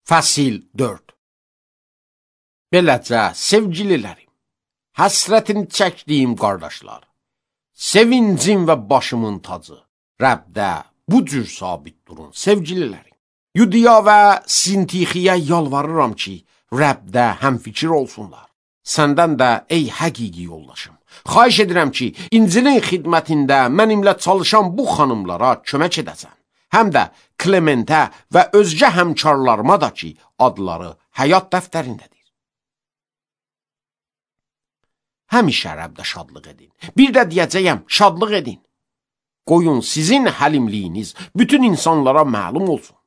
Fəsil 4. Beləcə, sevgililərim, həsrətini çəkdiyim qardaşlar, sevincim və başımın tacı, Rəbdə bu cür sabit durun, sevgililərim. Yudiya və Sintixiyə yalvarıram ki, Rəbdə həmfikir olsunlar. Səndən də, ey həqiqi yoldaşım, xahiş edirəm ki, İncilin xidmətində mənimlə çalışan bu xanımlara kömək edəsən. Həm də Klementə və özgə həmkarlarıma da ki, adları həyat dəftərindədir. Həmişə Rəbdə şadlıq edin. Bir də deyəcəyəm, şadlıq edin. Qoyun sizin həlimliyiniz bütün insanlara məlum olsun.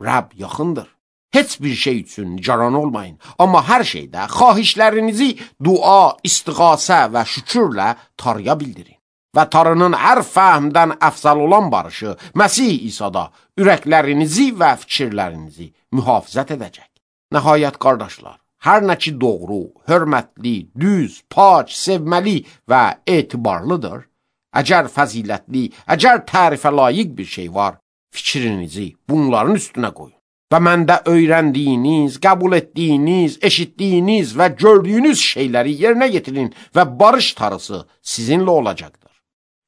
Rəbb yaxındır. Heç bir şey üçün nigaran olmayın. Amma hər şeydə xahişlərinizi dua, istiğasə və şükürlə Tanrıya bildirin. Və Tanrının hər fəhmdən əfzal olan barışı Məsih İsa'da ürəklərinizi və fikirlərinizi mühafizət edəcək. Nəhayət qardaşlar, hər nə ki doğru, hörmətli, düz, pak, sevməli və etibarlıdır, əgər fəzilətli, əgər tərifə layiq bir şey var, fikrinizi bunların üstünə qoyun. Və məndə öyrəndiyiniz, qəbul etdiyiniz, eşitdiyiniz və gördüyünüz şeyləri yerinə yetirin və barış tarısı sizinlə olacaqdır.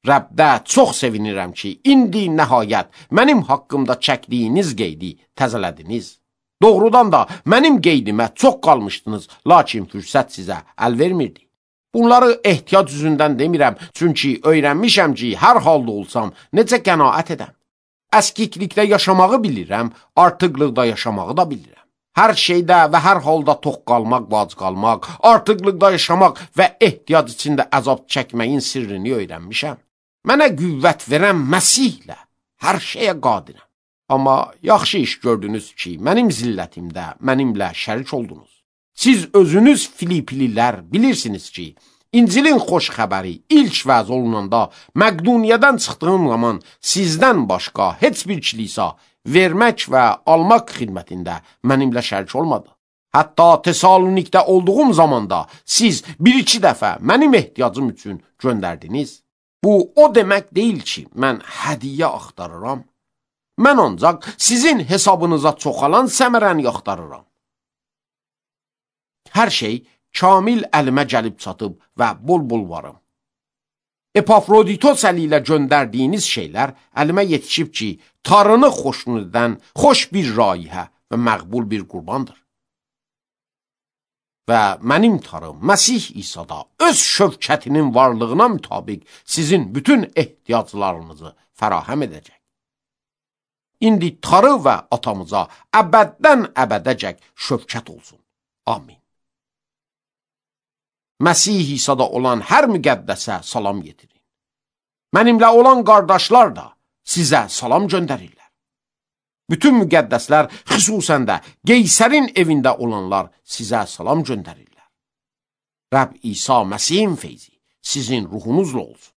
Rəbdə çox sevinirəm ki, indi nəhayət mənim haqqımda çəkdiyiniz qeydi təzələdiniz. Doğrudan da mənim qeydimə çox qalmışdınız, lakin fürsət sizə əl vermirdi. Bunları ehtiyac üzündən demirəm, çünki öyrənmişəm ki, hər halda olsam necə qənaət edəm. Əskiklikdə yaşamağı bilirəm, artıqlıqda yaşamağı da bilirəm. Hər şeydə və hər halda tox qalmaq, vac qalmaq, artıqlıqda yaşamaq və ehtiyac içində əzab çəkməyin sirrini öyrənmişəm. Mənə qüvvət verən Məsihlə hər şeyə qadirəm. Amma yaxşı iş gördünüz ki, mənim zillətimdə mənimlə şərik oldunuz. Siz özünüz Filiplilər bilirsiniz ki, İncilin xoş xəbəri ilk vəz olunanda Məqduniyadan çıxdığım zaman sizdən başqa heç bir kilisa vermək və almaq xidmətində mənimlə şərik olmadı. Hətta Tesalonikdə olduğum zamanda siz bir-iki dəfə mənim ehtiyacım üçün göndərdiniz. Bu o demək deyil ki, mən hədiyyə axtarıram. Mən ancaq sizin hesabınıza çoxalan səmərəni axtarıram. Hər şey kamil əlimə gəlib çatıb və bol-bol varım. Epafroditos əli ilə göndərdiyiniz şeylər əlimə yetişib ki, Tanrını xoşnud edən xoş bir raihə və məqbul bir qurbandır. Və mənim Tanrım Məsih İsa'da öz şövkətinin varlığına mütabiq sizin bütün ehtiyaclarınızı fərahəm edəcək. İndi Tanrı və atamıza əbəddən əbədəcək şövkət olsun. Amin. Məsih İsa'da olan hər müqəddəsə salam yetirin. Mənimlə olan qardaşlar da sizə salam göndərirlər. Bütün müqəddəslər, xüsusən də Qeysərin evində olanlar sizə salam göndərirlər. Rəbb İsa Məsihin feyzi sizin ruhunuzla olsun.